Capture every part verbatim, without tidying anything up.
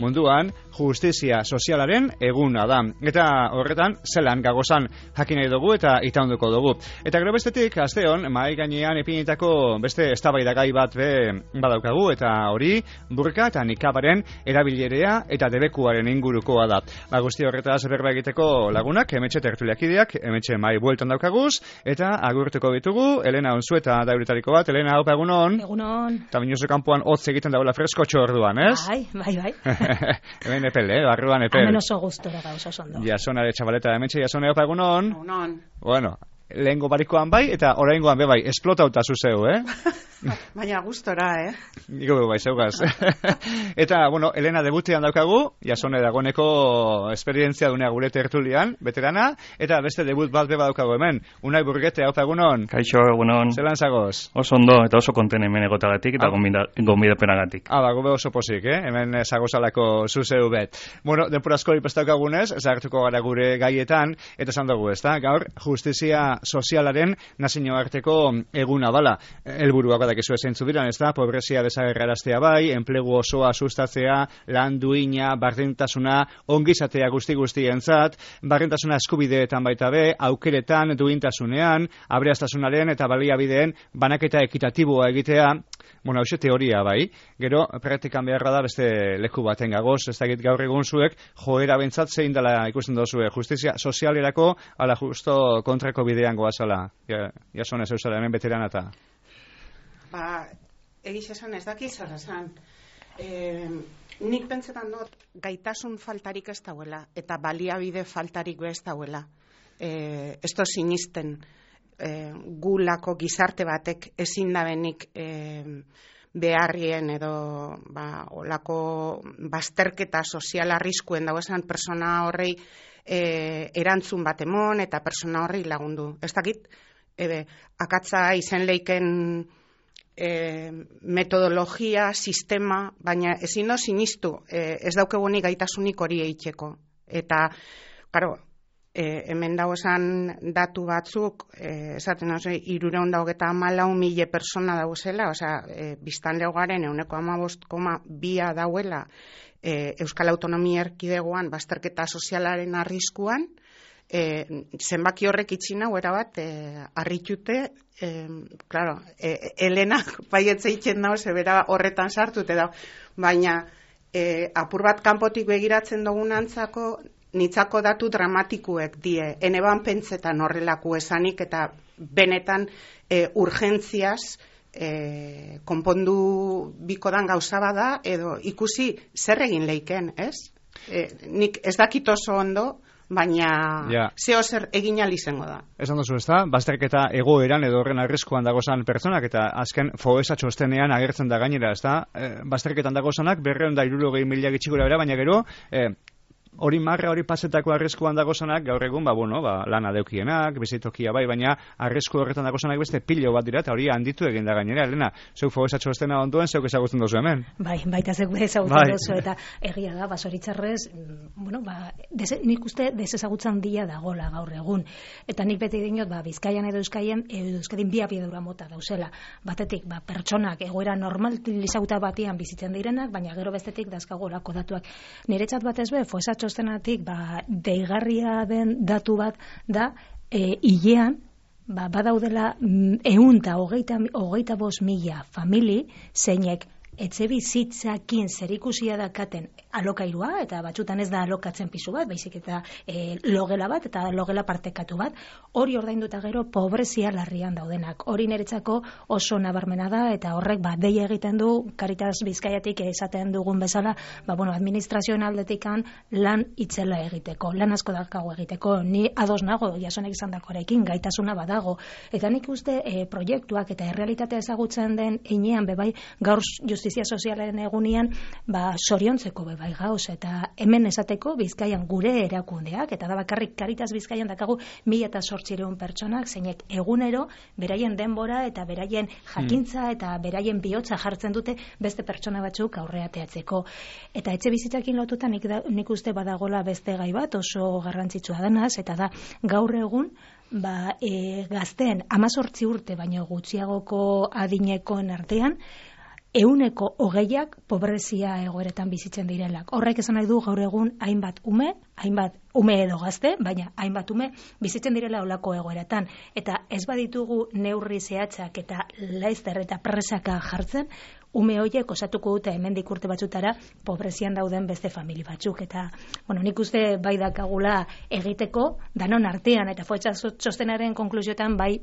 munduan justizia sozialaren eguna da. Eta horretan, zelan gagozan jakin nahi dugu eta itaunduko dugu. Eta gero bestetik, asteon, mahai gainean epinitako beste eztabaidagai bat be badaukagu, eta hori burka eta nikabaren erabilerea eta debekuaren ingurukoa da. Ba, guzti horretaz berba egiteko lagunak, emetxe tertuliakideak, emetxe mahai bueltan daukaguz, eta agurtuko ditugu, Elena Onzueta dauretariko bat. Elena, haupa, egunon? Egunon. Eta minuzu kanpoan hotz egiten daula freskotxo orduan, ez? Bai, bai, bai. Hemen epel, eh? Barruan epel. Hemen oso gustora gauz oso ondo. Jasonare txabaleta emetxe, jasone, haupa, egunon? Egunon. Bueno, lehengo barikoan bai, eta oraingoan be bai, esplotauta zuzeu, eh? Baina gustora, eh? Niko be bai, zeugaz. Eta, bueno, Elena debutean daukagu, jasone dagoneko esperientzia dunea gure tertulian, veterana, eta beste debut bat beba daukagu hemen. Unai Burgete, haupa, egunon? Kaixo, egunon. Zelan zagoz? Oso ondo, eta oso konten hemen egotagatik, eta ah. gonbidapenagatik. Ah, ba, gobe oso pozik, eh? Hemen zagozalako zuzeu bet. Bueno, denpurazko ipestaukagunez, zahartuko gara gure gaietan, eta esan dugu, ez da? Gaur, justizia sozialaren nazioarteko eguna bala. Helburuak badakizu ezeintzu diran, ez da? Pobrezia desagerraraztea bai, enplegu osoa sustatzea, lan duina, bardintasuna, ongizatea guzti guztientzat, bardintasuna eskubideetan baita be, aukeretan, duintasunean, abreaztasunaren eta baliabideen banaketa ekitatiboa egitea. Bueno, hau teoria bai, gero praktikan beharra da beste leku baten gagoz, ez dakit gaur egun zuek, joera bentsat zein dela ikusten dozue, justizia sozialerako, ala justo kontrako bidean goazala, ja, jasone zeuzala hemen veterana eta. Ba, egiz esan ez daki zer esan. E, nik pentsetan dut gaitasun faltarik ez dauela, eta baliabide faltarik ez dauela. E, ez to sinisten. E, gulako gizarte batek ezin da benik e, beharrien edo ba, olako bazterketa sozial arriskuen dago esan persona horrei e, erantzun bat emon eta persona horrei lagundu. Ez dakit, e, akatza izen leiken e, metodologia, sistema, baina ezin do sinistu, e, ez daukegunik gaitasunik hori eitzeko. Eta, karo, E, hemen dago esan datu batzuk, e, esaten hau irureun daugeta amalau mila persona dauzela, osea, e, biztan leugaren euneko amabost koma bia dauela e, Euskal Autonomia Erkidegoan bazterketa sozialaren arriskuan, e, zenbaki horrek itxina huera bat, e, arritute, e, claro, e, Elenak baietze itxen dago, zebera horretan sartute dago, baina e, apur bat kanpotik begiratzen dugun antzako, nitzako datu dramatikuek die, eneban pentsetan horrelako esanik eta benetan e, urgentziaz e, konpondu bikodan gauza bada edo ikusi zer egin leiken, ez? E, nik ez dakit oso ondo, baina ja. Zeo zer egin izango da. Esan duzu, ez da? Bazterketa egoeran edo horren arriskuan dagozan pertsonak eta azken foesa txostenean agertzen da gainera, ez da? E, bazterketan dagozanak berreun da hirurogei mila gitxikura bera, baina gero e, hori marra hori pasetako arriskuan dagozanak gaur egun, ba, bueno, ba, lana deukienak, bizitokia bai, baina arrisku horretan dagozanak beste pilo bat dira, eta hori handitu egin da gainera, Elena, zeuk fogesatxo estena ondoen, zeuk ezagutzen dozu hemen. Bai, baita zeuk ezagutzen bai. Dozu, eta egia da, basoritzarrez, bueno, ba, des, nik uste desezagutzen dia dagola gaur egun, eta nik beti dinot, ba, Bizkaian edo Euskaien, edo Euskadin bi abiadura mota dauzela, batetik, ba, pertsonak egoera normalizauta batian bizitzen direnak, baina gero bestetik dazkagolako datuak. Niretzat batez be, fogesatxo txostenatik ba, deigarria den datu bat da e, hilean ba, badaudela ehun eta hogeita, hogeita bost mila famili zeinek etxe bizitzakin zerikusia dakaten alokairua, eta batzutan ez da alokatzen pisu bat, baizik eta e, logela bat, eta logela partekatu bat, hori ordainduta gero pobrezia larrian daudenak. Hori niretzako oso nabarmena da, eta horrek ba, deia egiten du, Caritas Bizkaiatik esaten dugun bezala, ba, bueno, administrazioen aldetikan lan itzela egiteko, lan asko dakago egiteko, ni ados nago, jasonek izan dakoarekin, gaitasuna badago, eta nik uste e, proiektuak eta errealitatea ezagutzen den heinean, bebai, gaur justizia sozialaren egunean, ba, soriontzeko bebai gauz, eta hemen esateko Bizkaian gure erakundeak, eta da bakarrik Caritas Bizkaian dakagu mila eta zortziehun pertsonak, zeinek egunero beraien denbora eta beraien jakintza eta beraien bihotza jartzen dute beste pertsona batzuk aurreateatzeko. Eta etxe bizitzakin lotuta nik, da, nik uste badagola beste gai bat oso garrantzitsua denaz, eta da gaur egun ba, e, gazteen amazortzi urte baino gutxiagoko adinekoen artean euneko hogeiak pobrezia egoeretan bizitzen direlak. Horrek esan nahi du gaur egun hainbat ume, hainbat ume edo gazte, baina hainbat ume bizitzen direla olako egoeretan. Eta ez baditugu neurri zehatzak eta laizter eta presaka jartzen, ume horiek osatuko dute hemendik urte batzutara pobrezian dauden beste famili batzuk. Eta, bueno, nik uste bai dakagula egiteko, danon artean, eta Foetxa txostenaren konklusioetan bai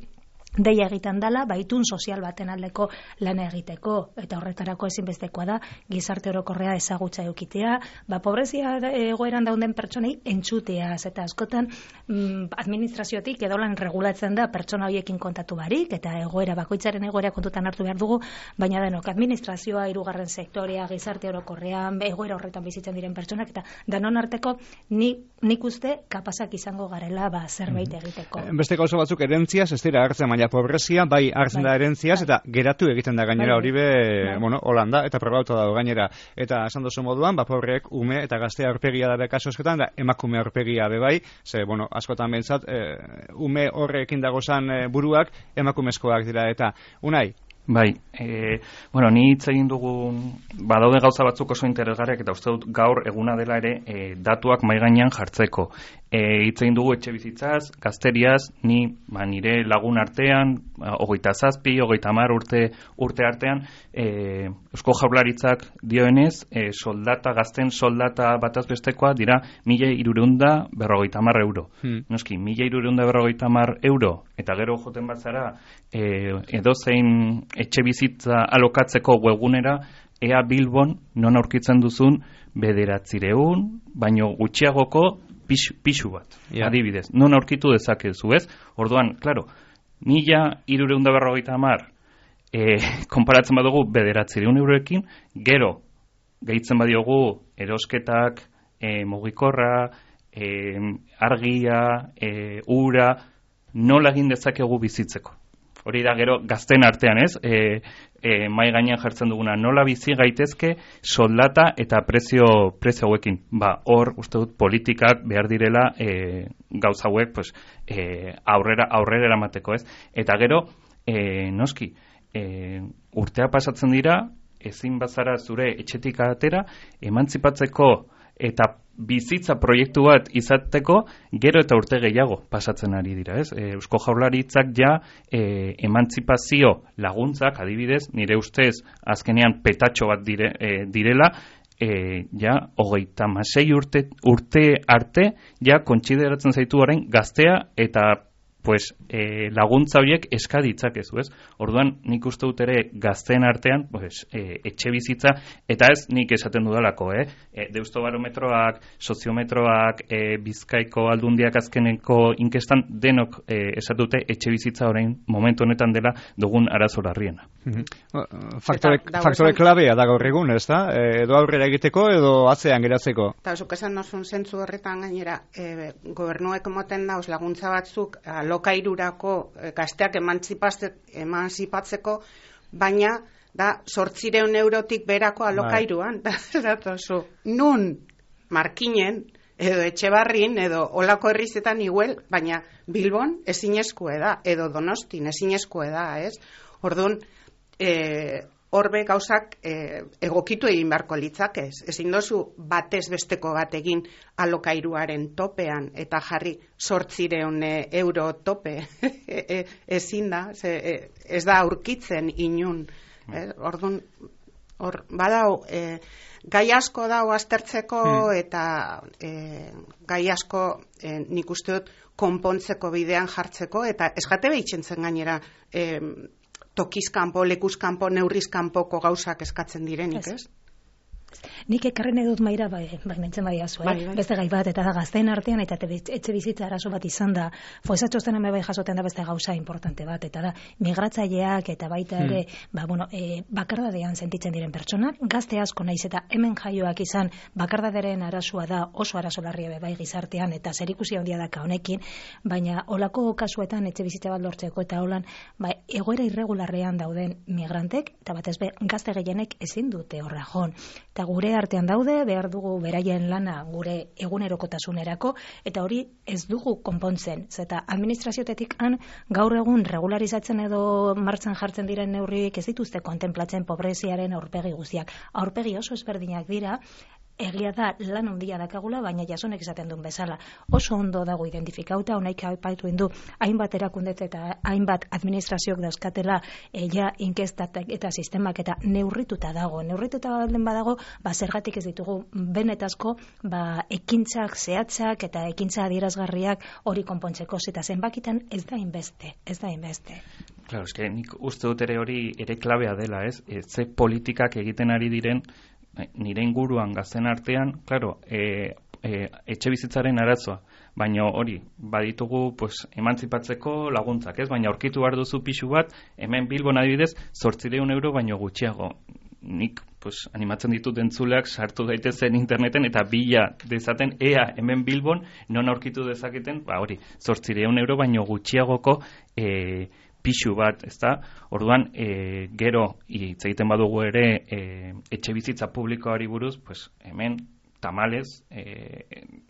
deia egiten dela, baitun sozial baten aldeko lana egiteko, eta horretarako ezinbestekoa da gizarte orokorrea ezagutza eukitea, ba pobrezia egoeran dauden pertsonei entzuteaz, eta askotan mm, administraziotik edo lan regulatzen da pertsona horiekin kontatu barik, eta egoera bakoitzaren egoera kontutan hartu behar dugu, baina denok administrazioa, hirugarren sektorea, gizarte orokorrean, egoera horretan bizitzen diren pertsonak, eta danon arteko ni, nik uste kapazak izango garela ba, zerbait egiteko. Beste gauza batzuk erentziaz, ez dira hartzen, baina pobrezia, bai hartzen da erentziaz, eta geratu egiten da gainera hori be, bueno, Holanda, eta probauta dago gainera. Eta esan dozu moduan, ba, pobreek ume eta gaztea aurpegia da bekaso askotan, da emakume aurpegia be bai, ze, bueno, askotan behintzat, e, ume horrekin dagozan e, buruak emakumezkoak dira, eta Unai? Bai, e, bueno, ni hitz egin dugun, badaude gauza batzuk oso interesgarriak, eta uste dut gaur eguna dela ere e, datuak mahai gainean jartzeko. E, hitz egin dugu etxe bizitzaz, gazteriaz, ni ba, nire lagun artean, hogeita zazpi, hogeita hamar urte, urte artean, e, Eusko Jaurlaritzak dioenez, e, soldata, gazten soldata bataz bestekoa dira mila hirurehun berrogeita hamar euro. Hmm. Noski, mila hirurehun berrogeita hamar euro, eta gero joten batzara, e, edozein etxe bizitza alokatzeko webgunera, ea Bilbon non aurkitzen duzun bederatzireun, baino gutxiagoko pixu, pixu bat, yeah. Adibidez. Non aurkitu dezakezu, ez? Orduan, klaro, mila hirurehun berrogeita hamar e, konparatzen badugu bederatzireun euroekin, gero, gehitzen badiogu erosketak, e, mugikorra, e, argia, e, ura, nola egin dezakegu bizitzeko. Hori da gero gazten artean, ez? E, e, mai gainean jartzen duguna, nola bizi gaitezke soldata eta prezio prezio hauekin. Ba, hor uste dut politikak behar direla e, gauza hauek pues, e, aurrera aurrera eramateko, ez? Eta gero, e, noski, e, urtea pasatzen dira, ezin bazara zure etxetik atera, emantzipatzeko eta bizitza proiektu bat izateko gero eta urte gehiago pasatzen ari dira, ez? E, Eusko Jaurlaritzak ja e, emantzipazio laguntzak, adibidez, nire ustez azkenean petatxo bat dire, e, direla, e, ja hogeita hamasei urte, urte arte ja kontsideratzen zaitu orain gaztea eta pues, e, laguntza horiek eska ditzakezu, ez? Orduan, nik uste dut ere gazteen artean, pues, e, etxe bizitza, eta ez nik esaten dudalako, eh? E, Deustobarometroak, soziometroak, e, Bizkaiko aldundiak azkeneko inkestan, denok e, esatute etxe bizitza orain momentu honetan dela dugun arazo larriena. Mm-hmm. Faktore, faktore klabea da gaur egun, ez da? E, edo aurrera egiteko, edo atzean geratzeko? Eta zuk esan dozun zentzu horretan gainera, e, gobernuek moten dauz laguntza batzuk, lokairurako gazteak emantzipatzeko, baina da zortzireun eurotik berako alokairuan, da, zatozu, nun markinen, edo Etxebarrin, edo olako herrizetan iguel, baina Bilbon ezinezkoe da, edo Donostin ezinezkoe da, ez? Orduan, e, horbe gauzak e, egokitu egin beharko litzakez. Ezin dozu batez besteko bat egin alokairuaren topean eta jarri zortzireun euro tope. e, ezin da, ze, e, ez da aurkitzen inun. Eh? Orduan, hor, badau, e, gai asko dau aztertzeko hmm. eta e, gai asko e, nik uste dut konpontzeko bidean jartzeko, eta ez jate behitzen zen gainera e, tokizkanpo, lekuzkanpo, neurrizkanpoko gauzak eskatzen direnik, ez? Nik ekarren edut maira, bai, bai nintzen bai azu, eh? bai, bai. Beste gai bat, eta da gazteen artean, eta etxe bizitza arazo bat izan da, Foetxa txostenan bai jasoten da beste gauza importante bat, eta da, migratzaileak eta baita ere, hmm. ba, bueno, e, bakardadean sentitzen diren pertsonak, gazte asko naiz eta hemen jaioak izan, bakardaderen arazoa da oso arazo larria bai gizartean, eta zerikusi handia daka honekin, baina olako kasuetan etxe bizitza bat lortzeko, eta holan, ba, egoera irregularrean dauden migrantek, eta batez be, gazte gehienek ezin dute horra jon. eta gure artean daude, behar dugu beraien lana gure egunerokotasunerako, eta hori ez dugu konpontzen. Zeta administraziotetik han gaur egun regularizatzen edo martxan jartzen diren neurriek ez dituzte kontemplatzen pobreziaren aurpegi guztiak. Aurpegi oso ezberdinak dira, egia da lan handia dakagula, baina jasonek esaten duen bezala. Oso ondo dago identifikauta, honaik aipatu indu, hainbat erakundet eta hainbat administrazioak dauzkatela ja inkestatak eta sistemak eta neurrituta dago. Neurrituta baldin badago, ba, zergatik ez ditugu benetazko ba, ekintzak, zehatzak eta ekintza adierazgarriak hori konpontzeko, eta zenbakitan ez da inbeste, ez da inbeste. Claro, es que nik uste dut ere hori ere klabea dela, ez? E, ze politikak egiten ari diren nire inguruan gazten artean, claro, e, e, etxe bizitzaren arazoa, baina hori, baditugu pues, emantzipatzeko laguntzak, ez? Baina aurkitu behar duzu pixu bat, hemen Bilbon adibidez, zortziehun euro baino gutxiago. Nik pues, animatzen ditut entzuleak sartu daitezen interneten eta bila dezaten ea hemen Bilbon non aurkitu dezaketen, ba hori, zortziehun euro baino gutxiagoko e, pixu bat, ezta? Orduan, e, gero hitz egiten badugu ere e, etxe bizitza publikoari buruz, pues hemen tamalez, e,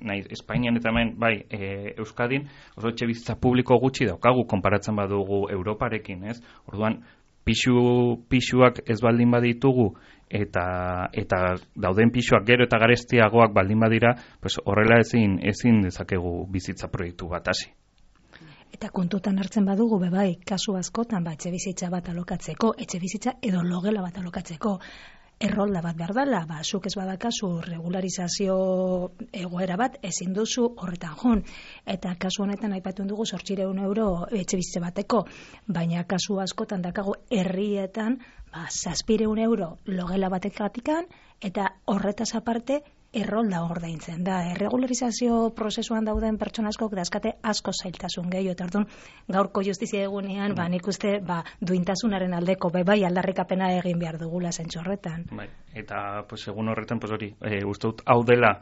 nahi, Espainian eta hemen, bai, e, Euskadin, oso etxe bizitza publiko gutxi daukagu konparatzen badugu Europarekin, ez? Orduan, pixu, pixuak ez baldin baditugu eta eta dauden pixuak gero eta garestiagoak baldin badira, pues horrela ezin ezin dezakegu bizitza proiektu bat hasi. Eta kontutan hartzen badugu, bebai, kasu askotan, ba, etxe bizitza bat alokatzeko, etxe bizitza edo logela bat alokatzeko, errolda bat behar dela, ba, zuk ez badakazu regularizazio egoera bat, ezin duzu horretan joan. Eta kasu honetan aipatu dugu zortziehun euro etxe bizitza bateko, baina kasu askotan dakago herrietan, ba, zazpiehun euro logela batekatikan, eta horretaz aparte, errolda ordaintzen da. Erregularizazio prozesuan dauden pertsona askok dazkate asko zailtasun gehiago, eta orduan gaurko justizia egunean, ba, nik uste, ba, duintasunaren aldeko, be, bai, aldarrikapena egin behar dugula zentsu horretan. Bai, eta, pues, egun horretan, pues, hori, e, uste dut, hau dela,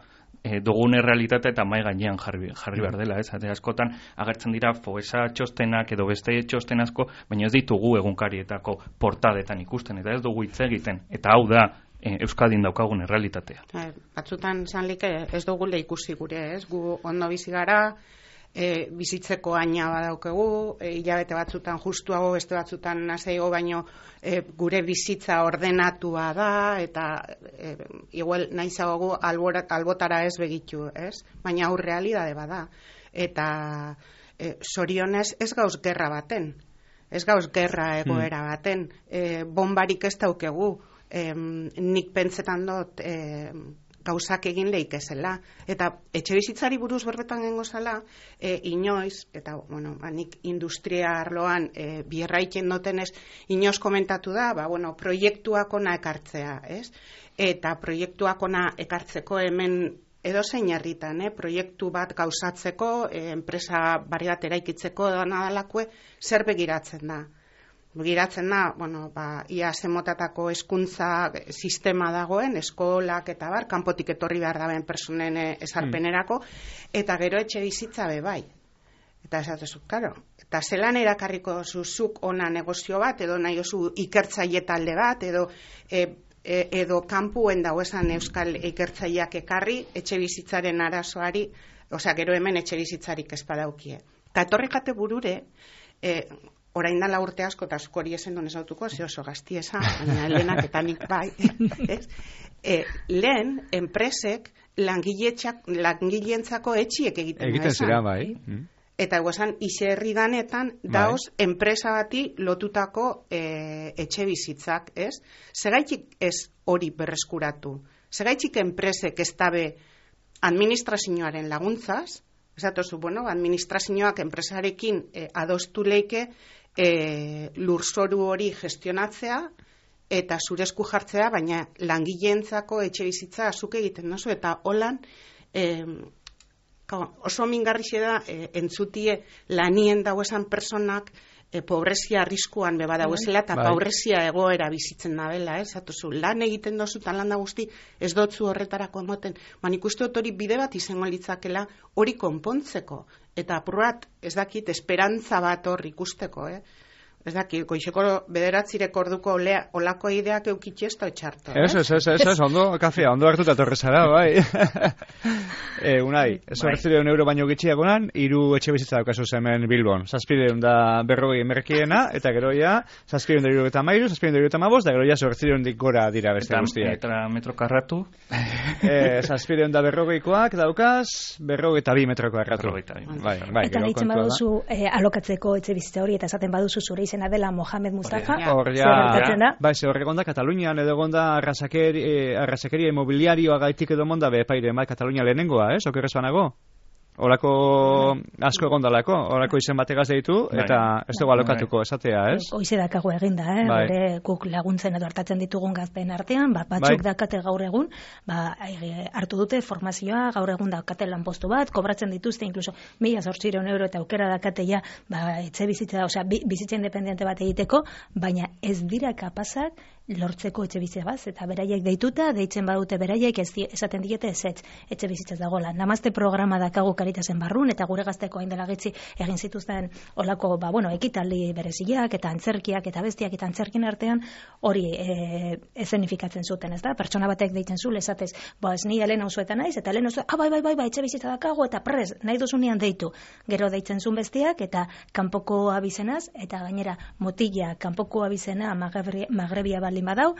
e, dugun errealitatea eta mai gainean jarri, jarri behar dela, ez? Ate askotan agertzen dira foesa txostenak edo beste txosten asko, baina ez ditugu egunkarietako portadetan ikusten, eta ez dugu hitz egiten, eta hau da, Euskadin daukagun errealitatea. Batzutan zanlik ez dugule ikusi gure, ez? Gu ondo bizi gara, e, bizitzeko aina badaukegu, e, hilabete batzutan justuago, beste batzutan nazeigo, baino e, gure bizitza ordenatua da, eta e, igual nahizagogu albotara ez begitu, ez? Baina hau realidade bada. Eta e, sorionez ez gauz gerra baten, ez gauz gerra egoera baten, e, bombarik ez daukegu, Eh, nik pentsetan dut eh, gauzak egin leikezela. Eta etxe bizitzari buruz berbetan gengo zela, eh, inoiz, eta bueno, ba, nik industria arloan eh, bierraiken notenez, inoiz komentatu da, ba, bueno, proiektuak ona ekartzea, ez? Eta proiektuak ona ekartzeko hemen edo zein herritan, eh? Proiektu bat gauzatzeko, eh, enpresa barri bat eraikitzeko edo nadalakue, zer begiratzen da? Begiratzen da, bueno, ba, ia zemotatako hezkuntza sistema dagoen, eskolak eta bar, kanpotik etorri behar daben personen esarpenerako, eta gero etxe bizitza be bai. Eta esatezu, karo, eta zelan erakarriko zuzuk ona negozio bat, edo nahi oso ikertzaile talde bat, edo e, e, edo kanpuen dago esan euskal ikertzaileak ekarri, etxe bizitzaren arazoari, osea, gero hemen etxe bizitzarik ez badaukie. Eta etorri jate burure, e, orain dala urte asko, eta zuk hori esen duen ezautuko, ze oso gazti esan, baina lehenak eta nik bai. e, lehen, enpresek langileentzako etxiek egiten egiten zira, bai. Eta eguesan, iserri danetan, daoz, bai. Enpresa bati lotutako e, etxe bizitzak, ez? Segaitik ez hori berreskuratu. Segaitik enpresek ez dabe administrazioaren laguntzaz, esatozu, bueno, administrazioak enpresarekin e, adostu leike, E, lurzoru hori gestionatzea eta zure esku jartzea, baina langileentzako etxe bizitza azuk egiten nozu, eta holan e, oso mingarrixe da e, entzutie lanien dauesan personak e, pobrezia arriskuan beba dauezela, eta bai. Pobrezia egoera bizitzen dabela, ez? Zatozu, lan egiten dozu, eta lan da guzti ez dotzu horretarako emoten, man ikuste dut hori bide bat izango litzakela hori konpontzeko, eta apurat, ez dakit, esperantza bat hor ikusteko, eh? Ez daki, goizeko bederatzirek orduko olako ideak eukitxe ez da etxarto. Ez, ez, ez, ez, ez, ondo, kafea, ondo hartuta torrezara, bai. e, unai, ez horretzireun euro baino gitxiagonan, hiru etxe bizitza daukazu hemen Bilbon. Zazpireun da berrogei emerkiena, eta geroia, zazpireun da irurogeta mairu, zazpireun da irurogeta mabost, da geroia zortzireun dik gora dira beste guztiak. Eta metro karratu? e, zazpireun da berrogeikoak daukaz, berrogeita bi metroko erratu. Bai, bai, eta ditzen baduzu eh, alokatzeko etxe bizitza hori, eta esaten baduzu zure izena dela Mohamed Mustafa, zer da? Bai, ze horrek onda Katalunian edo onda arrasakeri, eh, arrasakeria imobiliarioa gaitik edo monda bepaire, bai, Katalunia lehenengoa, ez? Okerrez banago? Olako asko egondalako, olako izen bategaz deitu, eta ez dugu alokatuko esatea, ez? Hoize dakago eginda, eh? Bai. Bere guk laguntzen edo hartatzen ditugun gazteen artean, ba, batzuk bai. Dakate gaur egun, ba, hartu dute formazioa, gaur egun dakate lanpostu bat, kobratzen dituzte, inkluso mila zortzireun euro eta aukera dakate ja, ba, etxe bizitza, osea, bizitza independiente bat egiteko, baina ez dira kapazak lortzeko etxe bizitza bat, eta beraiek deituta, deitzen badute beraiek ez esaten diete ez ez, etxe bizitzaz dagoela. Namazte programa dakagu Karitasen barrun, eta gure gazteko hain dela gitzi egin zituzten olako, ba, bueno, ekitaldi bereziak, eta antzerkiak, eta bestiak, eta antzerkin artean, hori e, ezenifikatzen zuten, ez da? Pertsona batek deitzen zu, esatez, ba, ez ni Elena usuetan naiz, eta Elena usuetan, ah, bai, bai, bai, bai, etxe bizitza dakagu, eta prez, nahi duzunean deitu. Gero deitzen zuen bestiak, eta kanpoko abizenaz, eta gainera motila, kanpoko abizena, magrebia baldin badau,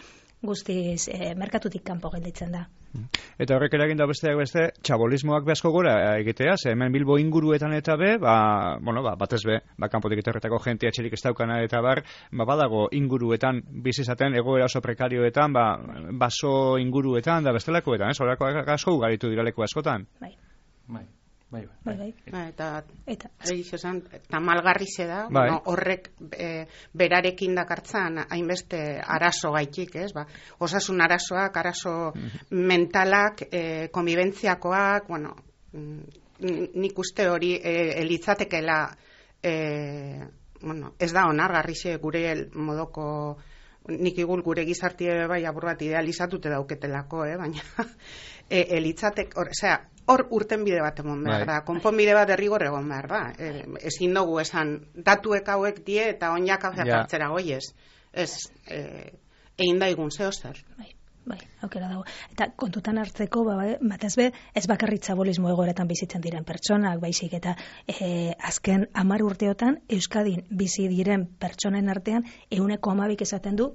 guztiz e, merkatutik kanpo gelditzen da. Eta horrek eragin da besteak beste, txabolismoak behazko gora egitea, ze hemen Bilbo inguruetan eta be, ba, bueno, ba, batez be, ba, kanpotik etorretako jentia txerik ez daukana eta bar, ba, badago inguruetan, bizizaten, egoera oso prekarioetan, ba, baso inguruetan, da bestelakoetan, ez, horako asko ugaritu diraleko askotan. Bai. Bai. Bai, bai, bai. Ba, eta eta esan, tamalgarri ze da, bai. Bueno, horrek e, berarekin dakartzan hainbeste arazo gaitik, ez? Ba, osasun arazoak, arazo mentalak, e, konbibentziakoak, bueno, nik uste hori e, elitzatekela e, bueno, ez da onargarri ze gure modoko nik igul gure gizartie bai abur bat idealizatute dauketelako, eh? Baina e, elitzatek, osea, hor urten bide bat emon behar da, konponbide bat derrigor egon behar da. E, ezin dugu esan, datuek hauek die eta onjak hartzera goiez. Ez, e, egin daigun zeo zer. Bai, bai, aukera dago. Eta kontutan hartzeko, ba, batez be, ez bakarrik txabolismo egoeretan bizitzen diren pertsonak, baizik, eta e, azken hamar urteotan, Euskadin bizi diren pertsonen artean, ehuneko hamabik esaten du,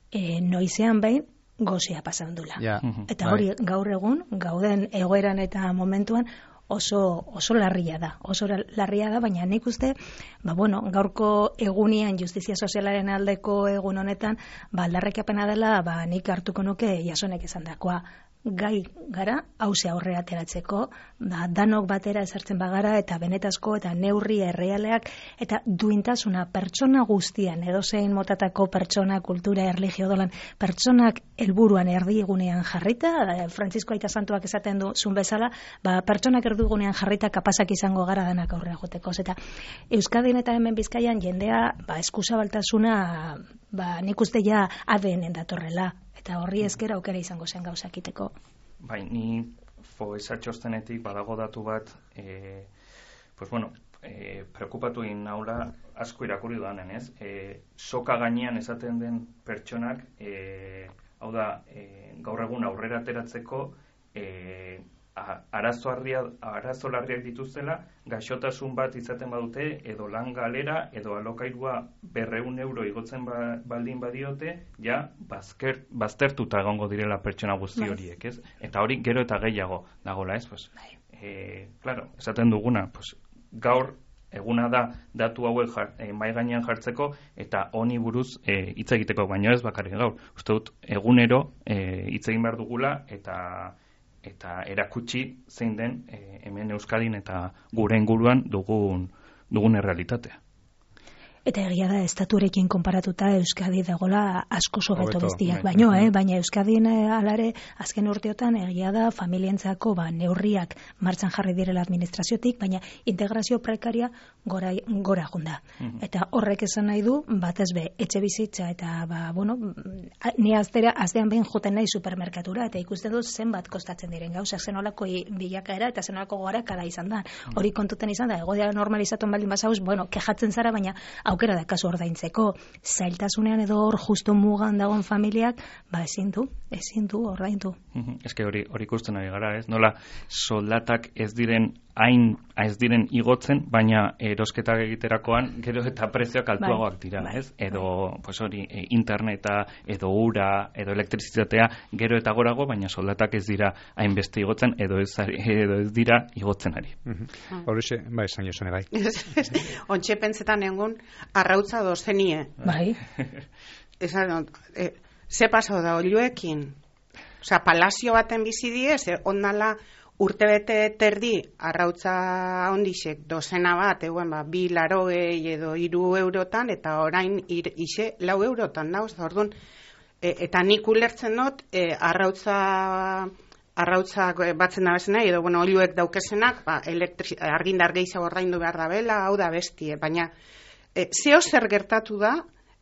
e, noizean behin, gozea pasandula. Yeah. Eta hori gaur egun, gauden egoeran eta momentuan oso, oso larria da. Oso larria da, baina nik uste, ba, bueno, gaurko egunian justizia sozialaren aldeko egun honetan, ba, aldarrikapena dela, ba, nik hartuko nuke Jasonek esan dakoa. Gai gara, hause aurre ateratzeko, da, danok batera ezartzen bagara, eta benetazko, eta neurri errealeak, eta duintasuna pertsona guztian, edozein motatako pertsona, kultura, erlijio dolan, pertsonak helburuan erdigunean jarrita, Frantzisko Aita Santuak esaten du zun bezala, ba, pertsonak erdigunean jarrita kapasak izango gara danak aurre agoteko. Eta Euskadin eta hemen Bizkaian jendea, ba, eskuzabaltasuna, ba, nik uste ja A D N-en datorrela, eta horri ezkera aukera izango zen gauzakiteko. Bai, ni foesa txostenetik badago datu bat, e, pues bueno, e, preokupatu egin naula asko irakurri duanen, ez? E, soka gainean esaten den pertsonak, e, hau da, e, gaur egun aurrera ateratzeko, e, arazo arazo larriak dituztela, gaixotasun bat izaten badute, edo lan galera, edo alokairua berreun euro igotzen ba, baldin badiote, ja, bazker, baztertuta egongo direla pertsona guzti horiek, ez? Eta hori gero eta gehiago dagola, ez? Pues, e, claro, esaten duguna, pues, gaur eguna da datu hauek jar, e, mai gainean jartzeko, eta honi buruz e, hitz egiteko, baino ez bakarrik gaur. Uste dut, egunero e, hitz egin behar dugula, eta eta erakutsi zein den e, hemen Euskadin eta gure inguruan dugun dugun errealitatea. Eta egia da, estatuarekin konparatuta Euskadi dagola asko sobeto bezdiak, baino, eh? Baina Euskadin alare azken urteotan egia da familientzako ba, neurriak martxan jarri direla administraziotik, baina integrazio prekaria gora, gora junda. Mm-hmm. Eta horrek esan nahi du, batez be, etxe bizitza eta, ba, bueno, ni aztera, aztean behin joten nahi supermerkatura, eta ikusten dut zenbat kostatzen diren gauzak, zenolako bilakaera eta zenolako gorakada izan da. Hori kontuten izan da, egoera normalizatuan baldin bazauz, bueno, kejatzen zara, baina aukera da kasu ordaintzeko, zailtasunean edo hor justu mugan dagoen familiak, ba ezin du, ezin du ordaindu. Eske hori hori ikusten ari gara, ez? Nola soldatak ez diren hain ez diren igotzen, baina erosketak egiterakoan gero eta prezioak altuagoak dira, bai, ez? Edo bai. Pues hori e, interneta, edo ura, edo elektrizitatea gero eta gorago, baina soldatak ez dira hainbeste igotzen edo ez edo ez dira igotzen ari. Horixe, bai, esan josune bai. Ontxe pentsetan egun arrautza dozenie. Bai. Esan, e, ze pasau da oluekin? Osea, palazio baten bizi die, ze ondala urtebete terdi arrautza ondixek dozena bat, eguen ba, bi larogei edo hiru eurotan, eta orain ir, ise lau eurotan dauz, orduan, e, eta nik ulertzen dut, e, arrautza arrautzak batzen da bezena, edo bueno, oluek daukesenak, ba, argindar gehiago ordaindu behar da bela, hau da bestie, baina e, zeo zer gertatu da,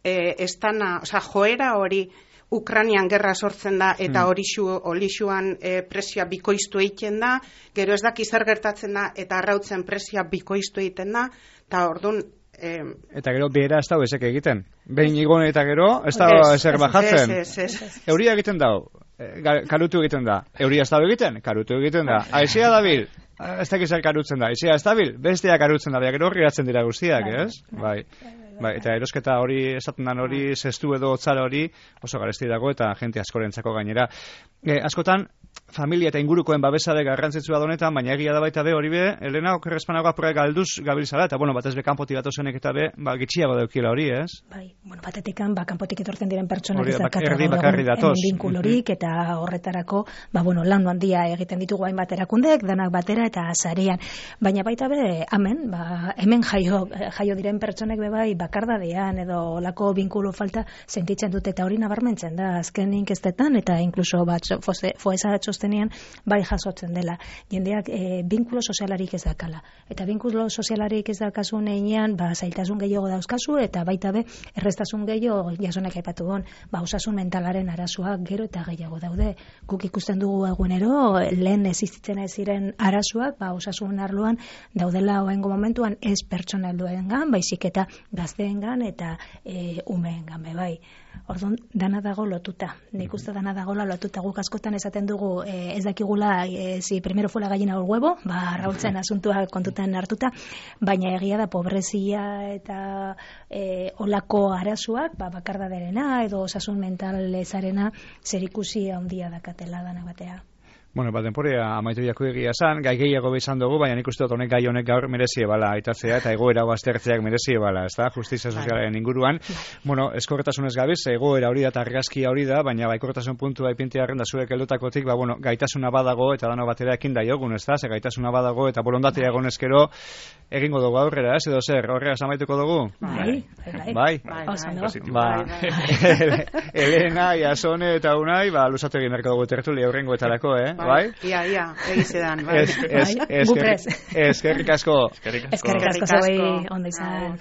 e, estana, osea, joera hori Ukrainian gerra sortzen da, eta horixu, horixuan e, presioa bikoiztu egiten da, gero ez daki zer gertatzen da, eta arrautzen presioa bikoiztu egiten da, eta orduan... E, eta gero behera ez da ezek egiten. Behin igon eta gero ez da ezer bajatzen. Euria egiten da, karutu egiten da. Euria ez da egiten, karutu egiten da. Aizea dabil, ez da zer karutzen da. Aizea ez dabil, bestea karutzen da. Gero horri gatzen dira guztiak, ez? Bai. Bai, eta erosketa hori, esaten dan hori, zestu edo otzara hori, oso garesti dago eta jente askorentzako gainera. E, askotan, familia eta ingurukoen babesade garrantzitsua donetan, baina egia da baita be hori be, Elena, okerrezpanagoa pura galduz gabiltzala, eta bueno, batez be kanpotik datozenek eta be, ba, gitxiago daukila hori, ez? Bai, bueno, batetikan, ba, kanpotik etortzen diren pertsonak izakatu egun binkulorik, eta horretarako, ba, bueno, lan handia egiten ditugu hainbat erakundek, danak batera eta sarean. Baina baita be, hemen, ba, hemen jaio, jaio diren pertsonek be bai, bakardadean edo lako binkulo falta sentitzen dute, eta hori nabarmentzen da, azken inkestetan, eta inkluso bat, foesa txostenean bai jasotzen dela. Jendeak e, binkulo sozialarik ez dakala. Eta binkulo sozialarik ez dakazu neinean, ba, zailtasun gehiago dauzkazu, eta baita be, errestasun gehiago jasonak aipatu gon, ba, osasun mentalaren arazoak gero eta gehiago daude. Guk ikusten dugu egunero, lehen existitzen ez ziren arazoak, ba, osasun arloan daudela oengo momentuan ez pertsonalduengan, baizik eta gazteengan eta e, umeengan be bai. Orduan, dana dago lotuta. Nik uste dana dagoela lotuta. Guk askotan esaten dugu eh, ez dakigula eh, si primero fue la gallina o el huevo, ba, arrautzen asuntua kontutan hartuta, baina egia da pobrezia eta eh, olako arazoak, ba, bakardaderena edo osasun mental ezarena zerikusi handia dakatela dana batea. Bueno, ba, denporea amaitu jako egia zan, gai gehiago bezan dugu, baina nik uste dut honek gai honek gaur merezie bala aitatzea eta egoera aztertzeak merezie bala, ez da, justizia sozialaren inguruan. Bueno, eskorretasunez gabiz, egoera hori da eta argazkia hori da, baina baikortasun puntua ipintiarren da zuek heldutakotik, ba, bueno, gaitasuna badago eta dano batera ekin da jogun, ez da, ze gaitasuna badago eta borondatea egon ezkero egingo dugu aurrera, ez edo zer, horrega amaituko dugu? Bai, bai, bai. Ba, Elena, Iasone eta Unai, ba, lusatu egin berko dugu tertulia aurrengo etarako, eh? Bai? Ia, ia, egizedan, bai. Eskerrik asko. Eskerrik asko. Eskerrik asko, ondo izan.